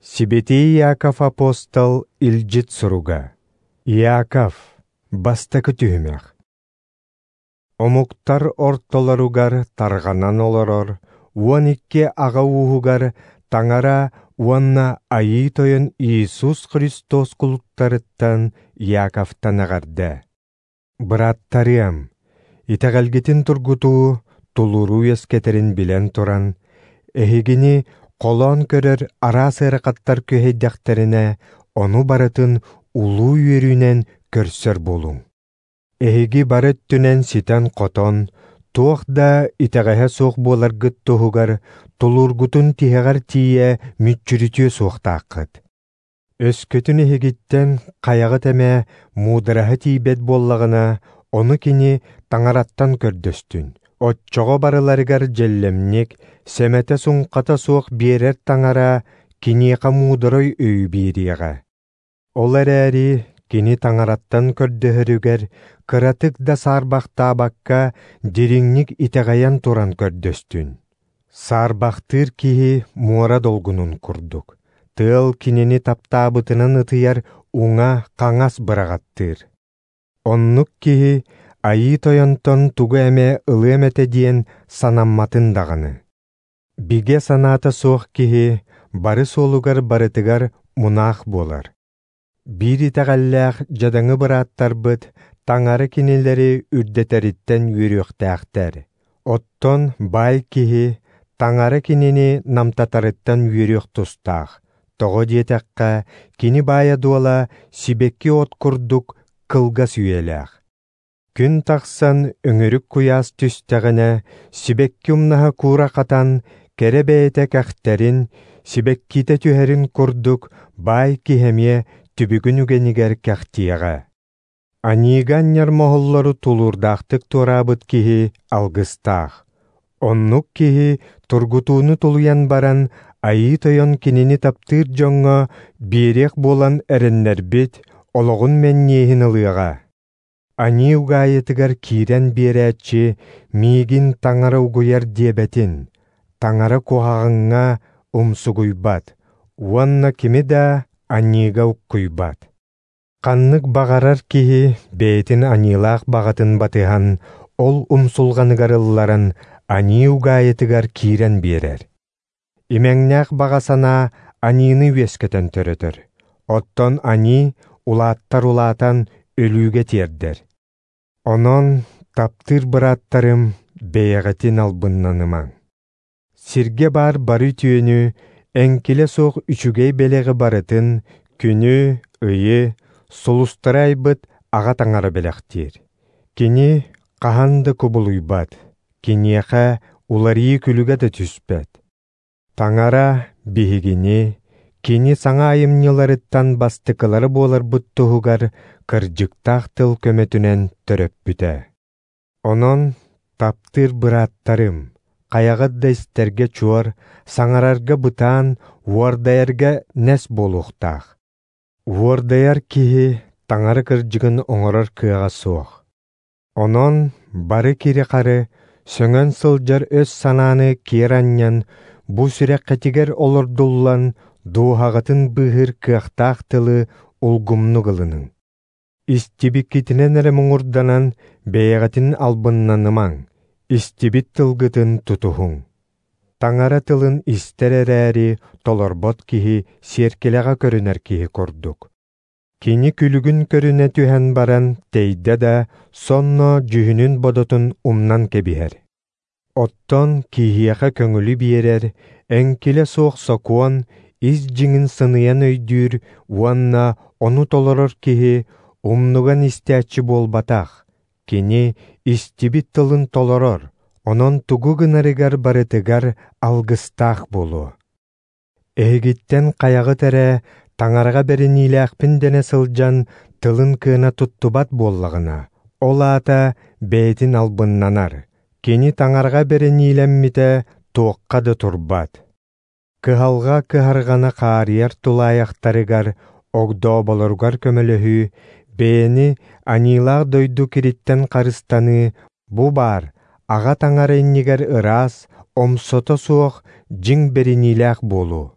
Сибэтиэй Иаков апостол илдьит суруга. Иаков, бастакы түһүмэх. Омуктар ортолоругар тарҕанан олорор 12 аҕа ууһугар Таҥара уонна Айыы Тойон Иисус Христос кулуттарыттан Иаковтан эҕэрдэ. Бырааттарыам, итэҕэлгитин тургутуу, тулууру үөскэтэрин билэн туран, эһигини холоон көрөр араас ыарахаттар күһэйдэхтэринэ, ону барытын улуу үөрүүнэн көрсөр буолуҥ. Эһиги бары өттүнэн ситэн-хотон, туох да итэҕэһэ суох буоларгыт туһугар тулуургутун тиһэҕэр тиийэ мүччүрүтүө суохтааххыт. Өскөтүн эһигиттэн хайаҕыт эмэ муудараһа тиийбэт буоллаҕына, ону кини Таҥараттан көрдөстүн. Оччоҕо барыларыгар дьэллэмник, сэмэтэ-суҥхата суох биэрэр Таҥара киниэхэ муударай өйү биэриэҕэ. Ол эрээри кини Таҥараттан көрдөһөрүгэр кыратык да саарбахтаабакка дириҥник итэҕэйэн туран көрдөстүн. Саарбахтыыр киһи муора долгунун курдук, тыал кинини таптаабытынан ытыйар уҥа-хаҥас быраҕаттыыр. Оннук киһи Айыы Тойонтон тугу эмэ ылыам этэ диэн санамматын даҕаны. Бигэ санаата суох киһи бары суолугар барытыгар мунаах буолар. Биир итэҕэллээх дьадаҥы бырааттарбыт Таҥара кинилэри үрдэтэриттэн үөрүөхтээхтэр. Оттон баай киһи Таҥара кинини намтатарыттан үөрүөх тустаах. Тоҕо диэтэххэ, кини баайа-дуола сибэкки от курдук кылгас үйэлээх. Күн тахсан өҥүрүк куйаас түстэҕинэ, сибэкки умнаһа куура хатан, кэрэ бэйэтэ кэхтэрин, сибэккитэ түһэрин курдук баай киһи эмиэ түбүгүн үгэнигэр кэхтиэҕэ. Аньыыга анньар моһоллору тулуурдаахтык туораабыт киһи алгыстаах. Оннук киһи тургутууну тулуйан баран, Айыы Тойон кинини таптыыр дьоҥҥо биэриэх буолан эрэннэрбит олоҕун мэнньиэһин ылыаҕа. Аньыы угаайытыгар киирэн биэрээччи миигин Таҥара угуйар диэбэтин, Таҥара куһаҕаҥҥа умсугуйбат уонна кими да аньыыга уккуйбат. Ханнык баҕарар киһи бэйэтин аньыылаах баҕатын батыһан, ол умсулҕаныгар ылларан, аньыы угаайытыгар киирэн биэрэр. Имэҥнээх баҕа санаа аньыыны үөскэтэн төрөтөр, оттон аньыы улааттар улаатан өлүүгэ тиэрдэр. Онон, таптыыр бырааттарым, бэйэҕитин албыннанымаҥ. Сиргэ баар бары үтүөнү, эҥкилэ суох үчүгэй бэлэҕи барытын, күнү, ыйы, сулустары айбыт Аҕа Таҥара бэлэхтиир. Кини хаһан да кубулуйбат, киниэхэ уларыйыы күлүгэ да түспэт. Таҥара биһигини, кини саҥа айымньыларыттан бастакылара буоларбыт туһугар кырдьыктаах тыл көмөтүнэн төрөппүтэ. Онон, таптыыр бырааттарым, хайаҕыт да истэргэ чуор, саҥарарга бытаан, уордайарга нэс буолуохтаах. Уордайар киһи Таҥара кырдьыгын оҥорор кыаҕа суох. Онон бары кири-хары, сөҥөн сылдьар өс санааны киэр анньан, бу сүрэххитигэр олордуллан, дууһаҕытын быыһыыр кыахтаах тылы улгумнук ылыныҥ. Истибиккитинэн эрэ муҥурданан, бэйэҕитин албыннанымаҥ, истибит тылгытын тутуһуҥ. Таҥара тылын истэр эрээри толорбот киһи сиэркилэҕэ көрүнэр киһи курдук. Кини күлүгүн көрүнэ түһэн баран тэйдэ да, сонно дьүһүнүн-бодотун умнан кэбиһэр. Оттон киһиэхэ көҥүлү биэрэр, эҥкилэ суох сокуон ис дьиҥин сыныйан өйдүүр уонна ону толорор киһи умнуган истээччи буолбатах, кини истибит тылын толорор, онон тугу гынарыгар барытыгар алгыстаах буолуо. Эһигиттэн хайаҕыт эрэ Таҥараҕа бэриниилээхпин дэнэ сылдьан тылын кыана туттубат буоллаҕына, ол аата бэйэтин албыннанар, кини Таҥараҕа бэриниилэммитэ туохха да турбат. Кыһалҕа кыһарҕана хаарыйар тулаайахтарыгар, огдооболоругар көмөлөһүү, бэйэни аньыылаах дойду кириттэн харыстаныы бу баар Аҕа Таҥара иннигэр ыраас, омсото суох дьиҥ бэриниилээх буолуу.